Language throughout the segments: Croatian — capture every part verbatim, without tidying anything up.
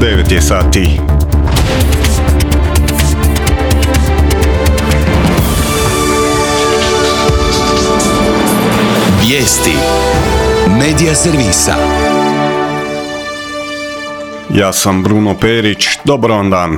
devet je sati. Vijesti Medija servisa. Ja sam Bruno Perić, dobar vam dan.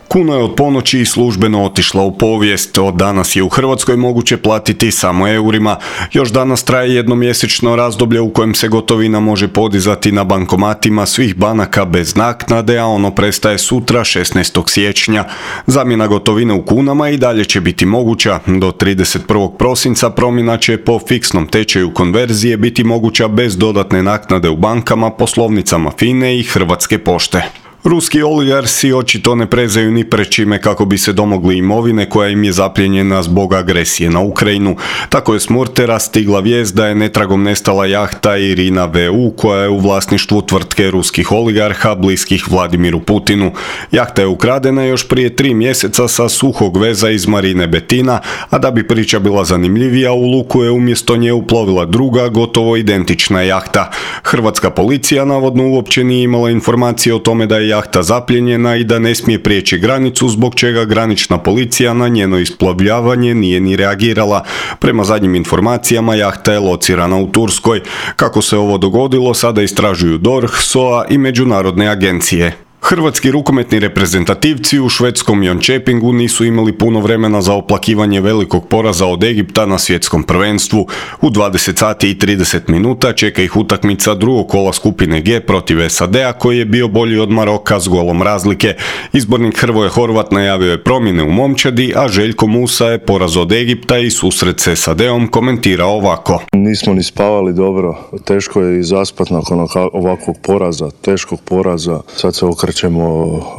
Kuna je od ponoći službeno otišla u povijest. Od danas je u Hrvatskoj moguće platiti samo eurima. Još danas traje jednomjesečno razdoblje u kojem se gotovina može podizati na bankomatima svih banaka bez naknade, a ono prestaje sutra šesnaestog siječnja. Zamjena gotovine u kunama i dalje će biti moguća. Do trideset prvog prosinca promjena će po fiksnom tečaju konverzije biti moguća bez dodatne naknade u bankama, poslovnicama FINA-e i Hrvatske pošte. Ruski oligarsi očito ne prezaju ni pred čime kako bi se domogli imovine koja im je zaplijenjena zbog agresije na Ukrajinu. Tako je s Murtera stigla vijest da je netragom nestala jahta Irina V U koja je u vlasništvu tvrtke ruskih oligarha bliskih Vladimiru Putinu. Jahta je ukradena još prije tri mjeseca sa suhog veza iz marine Betina, a da bi priča bila zanimljivija, u luku je umjesto nje uplovila druga, gotovo identična jahta. Hrvatska policija navodno uopće nije imala informacije o tome da je jahta zapljenjena i da ne smije prijeći granicu, zbog čega granična policija na njeno isplovljavanje nije ni reagirala. Prema zadnjim informacijama jahta je locirana u Turskoj. Kako se ovo dogodilo sada istražuju D O R H, S O A i međunarodne agencije. Hrvatski rukometni reprezentativci u švedskom Jönköpingu nisu imali puno vremena za oplakivanje velikog poraza od Egipta na svjetskom prvenstvu. U dvadeset sati i trideset minuta čeka ih utakmica drugog kola skupine G protiv S A D-a koji je bio bolji od Maroka s golom razlike. Izbornik Hrvoje Horvat najavio je promjene u momčadi, a Željko Musa je poraz od Egipta i susret s S A D-om komentirao ovako. Nismo ni spavali dobro, teško je i zaspat nakon ovakvog poraza, teškog poraza. Sad se okrećemo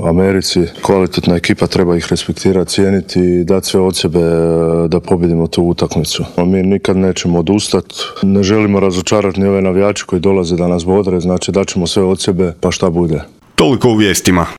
Americi. Kvalitetna ekipa, treba ih respektirati, cijeniti i dati sve od sebe da pobjedimo tu utakmicu. Mi nikad nećemo odustati, ne želimo razočarati ni ove navijače koji dolaze da nas bodre, znači daćemo sve od sebe pa šta bude. Toliko u vijestima.